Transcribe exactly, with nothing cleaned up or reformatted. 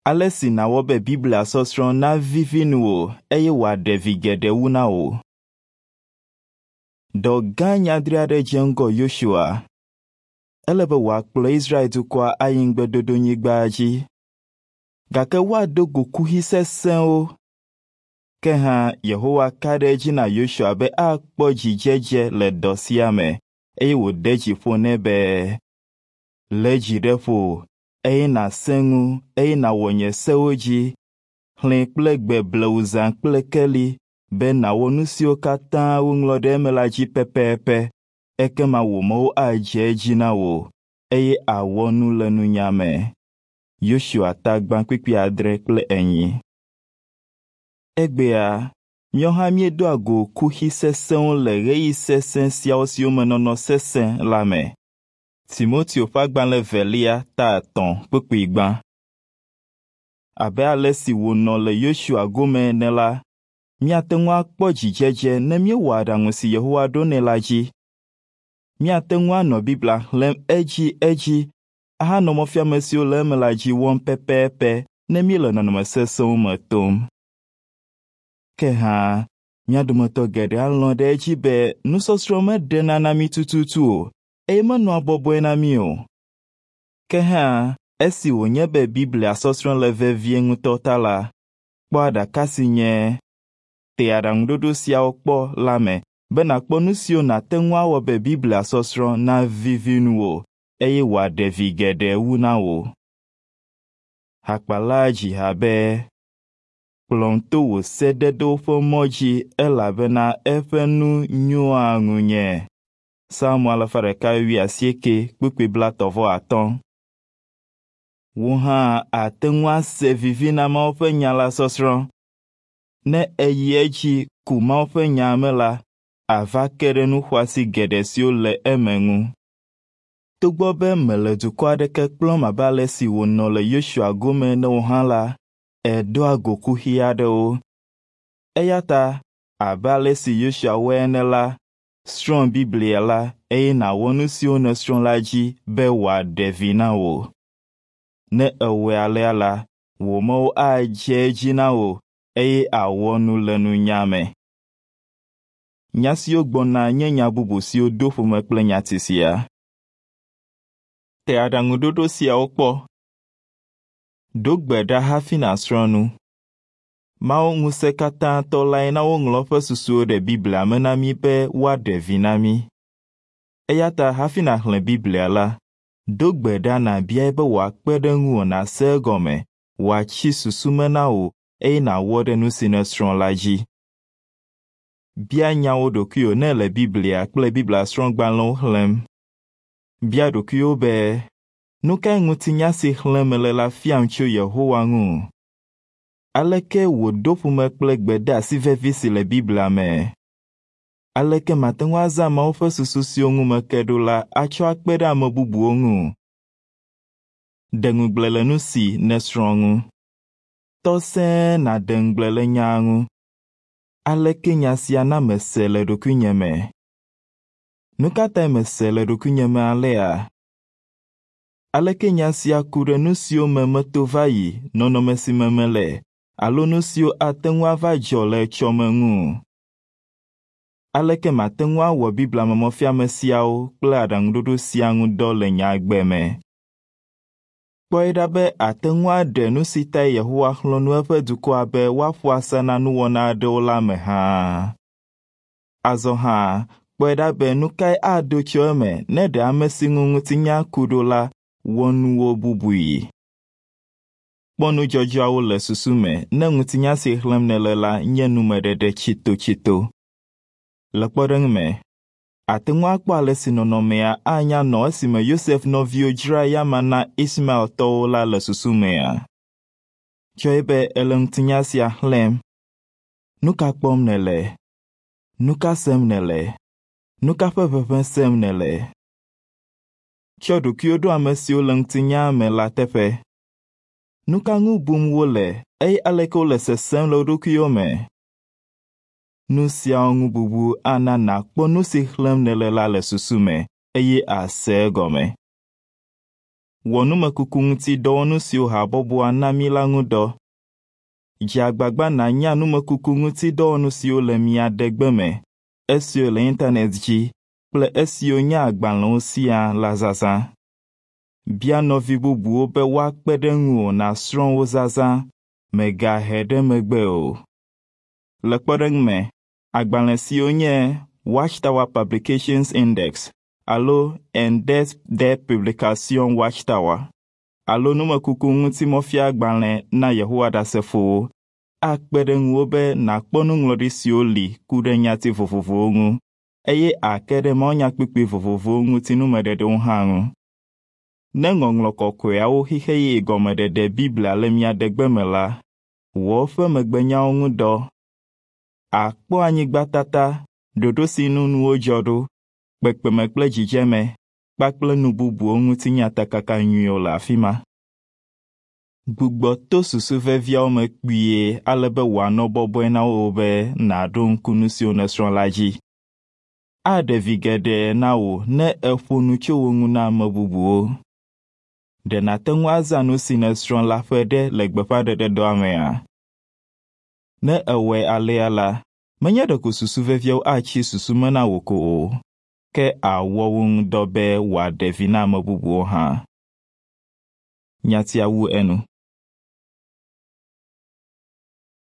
Ale si nàwɔ be Biblia sɔsrɔ̃ navivi nuwò eye wòaɖe vi geɖe wu na wò. Dɔ gã nyadri aɖe dze ŋgɔ Yosua. Ele be wòakplɔ Israel dukɔa ayi ŋugbedodonyigba dzi. Gake woado go kuxi sesẽwo. Ke hã Yehowa ka ɖe edzi na Yosua be akpɔ dzidzedze le dɔ sia me eye wòde dzi ƒo nɛ be, “Lé dzi ɖe ƒo eye nàsẽ ŋu eye nàwɔ nye sewo dzi. Xlẽe kple gbe blewu zã kple keli be nàwɔ nu siwo katã woŋlɔ ɖe eme la dzi pɛpɛpɛ. Ekema wò mɔwo adze edzi na wò eye àwɔ nu le nunya me.” Yosua ta gbã kpukpui adre kple enyi. Egbea, míawo hã míedoa go kuxi sesẽwo le ɣeyiɣi sesẽ siawo siwo me nɔnɔ sesẽ la me. Timoteo ƒe agbalẽ evelia ta etɔ̃ kpukpui gbã. Abe ale si wònɔ le Yosua gome ene la, míate ŋu akpɔ dzidzedze ne míewɔ aɖaŋu si Yehowa ɖo nɛ la dzi. Míate ŋu anɔ Biblia xlẽm edzi edzi ahanɔ mɔfiame siwo le eme la dzi wɔm pɛpɛpɛ ne míele nɔnɔme sesẽwo me tom. Ke hã, mía dometɔ geɖe alɔ̃ ɖe edzi be nusɔsrɔ̃ meɖena na mí tututu o eye menɔa bɔbɔe na mí o. Ke hã, esi wònye be Biblia sɔsrɔ̃ le vevie ŋutɔ ta la, kpɔ aɖaka si nye “Te aɖaŋuɖoɖo siawo kpɔ” la me be nàkpɔ nu siwo nàte ŋu awɔ be Biblia sɔsrɔ̃ navivi nuwò eye wòaɖe vi geɖe wu na wò. Hakpala dzi ha be, “Kplɔm to wò sededewo ƒe mɔ dzi elabena eƒe nu nyoa ŋunye.” Psalmo alafa ɖeka wuiasieke kpukpui blaetɔ̃ vɔ atɔ̃. Wò hã àte ŋu ase vivi na Mawu ƒe nya la sɔsrɔ̃. Ne èyi edzi ku Mawu ƒe nya me la, àva ke ɖe nu xɔasi geɖe siwo le eme ŋu. Togbɔ be mèle dukɔ aɖeke kplɔm abe ale si wònɔ le Yosua gome ene o hã la, èdoa go kuxi aɖewo. Eya ta abe ale si Yosua wɔe ene la, srɔ̃ Biblia la eye nàwɔ nu siwo nèsrɔ̃ la dzi be wòaɖe vi na wò. Ne èwɔe alea la, wò mɔwo adze edzi na wò eye àwɔ nu le nunya me. Nya siwo gbɔna nye nya bubu siwo do ƒome kple nyati sia. Te aɖaŋuɖoɖo siawo kpɔ. Do gbe ɖa hafi nàsrɔ̃ nu. Mawu ŋusẽkatãtɔ lae na woŋlɔ eƒe susuwo ɖe Biblia me na mí be woaɖe vi na mí. Eya ta hafi nàxlẽ Biblia la, do gbe ɖa nàbiae be wòakpe ɖe ŋuwò nàse egɔme, wòatsi susu me na wò eye nàwɔ ɖe nu si nèsrɔ̃ la dzi. Bia nyawo ɖokuiwò ne èle Biblia kple Biblia srɔ̃gbalẽwo xlẽm. Bia ɖokuiwò be, nu kae ŋutinya si xlẽm mele la fiam tso Yehowa ŋu? Aleke wòdo ƒome kple gbedeasi vevi si le Biblia me? Aleke mate ŋu azã Mawu ƒe susu siwo ŋu meke ɖo la atsɔ akpe ɖe ame bubuwo ŋu? De ŋugble le nu si nèsrɔ̃ ŋu. Tɔ sẽe nàde ŋugble le nyaa ŋu. Aleke nya sia na mese le ɖokuinye me? Nu ka tae mese le ɖokuinye me alea? Aleke nya sia ku ɖe nu siwo me meto va yi, nɔnɔme si me mele, alo nu siwo ate ŋu ava dzɔ le etsɔme ŋu? Aleke mate ŋu awɔ Biblia me mɔfiame siawo kple aɖaŋuɖoɖo sia ŋu dɔ le nye agbe me? Kpɔe ɖa be àte ŋu aɖe nu si tae Yehowa xlɔ̃ nu eƒe dukɔa be woaƒo asa na nuwɔna aɖewo la me hã. Azɔ hã, kpɔe ɖa be nu kae ado tso eme ne ɖe ame si ŋu ŋutinya ku ɖo la wɔ nuwo bubui. Kpɔ nudzɔdzɔawo le susu me ne ŋutinya si xlẽm nèle la nye numeɖeɖe tsitotsito. Le kpɔɖeŋu me, àte ŋu akpɔ ale si nɔnɔmea anya nɔ esime Yosef nɔviwo dzra eyama na Ismaeltɔwo la le susu mea? Tsɔe be èle ŋutinya sia xlẽm. Nu ka kpɔm nèle? Nu ka sem nèle? Nu ka ƒe ʋeʋẽ sem nèle? Tsɔ ɖokuiwò ɖo ame siwo le ŋutinyaa me la teƒe. Nu ka ŋu bum wole eye aleke wole sesem le wo ɖokuiwo me? Nu siawo ŋu bubu ana nàkpɔ nu si xlẽm nèle la le susu me eye àse egɔme. Wɔ numekuku ŋuti dɔwɔnu siwo habɔbɔa na mí la ŋu dɔ. Dze agbagba nànya numekuku ŋuti dɔwɔnu siwo le mia degbe me, esiwo le internet dzi kple esiwo nye agbalẽwo siaa la zazã. Bia nɔvi bubuwo be woakpe ɖe ŋuwò nàsrɔ̃ wo zazã, mègahe ɖe megbe o. Le kpɔɖeŋu me, agbalẽ siwo nye Watchtower Publications Index alo Index des Publications Watchtower alo numekuku ŋuti mɔfiagbalẽ na Yehowa Ɖasefowo akpe ɖe ŋuwò be nàkpɔ nuŋlɔɖi siwo li ku ɖe nyati vovovowo ŋu eye àke ɖe mawunyakpukpui vovovowo ŋuti numeɖeɖewo hã ŋu. Ne Ŋɔŋlɔ Kɔkɔeawo Xixe Yeye Gɔmeɖeɖe Biblia le mia degbe me la, wɔ eƒe megbenyawo ŋu dɔ. Àkpɔ anyigbatata, ɖoɖo si nu nuwo dzɔ ɖo, kpekpeme kple dzidzeme kpakple nu bubuwo ŋuti nyatakaka nyuiwo le afi ma. Gbugbɔ to susu veviawo me kpuie ale be wòanɔ bɔbɔe na wò be nàɖo ŋku nu siwo nèsrɔ̃ la dzi. Aɖe vi geɖe na wò ne èƒo nu tso wo ŋu na ame bubuwo. Ɖe nàte ŋu azã nu si nèsrɔ̃ la ƒe ɖe le gbeƒãɖeɖedɔa mea? Ne èwɔe alea la, menye ɖeko susu veviawo atsi susu me na wò ko o, ke àwɔ wo ŋu dɔ be wòaɖe vi na ame bubuwo hã. Nyatia wu enu.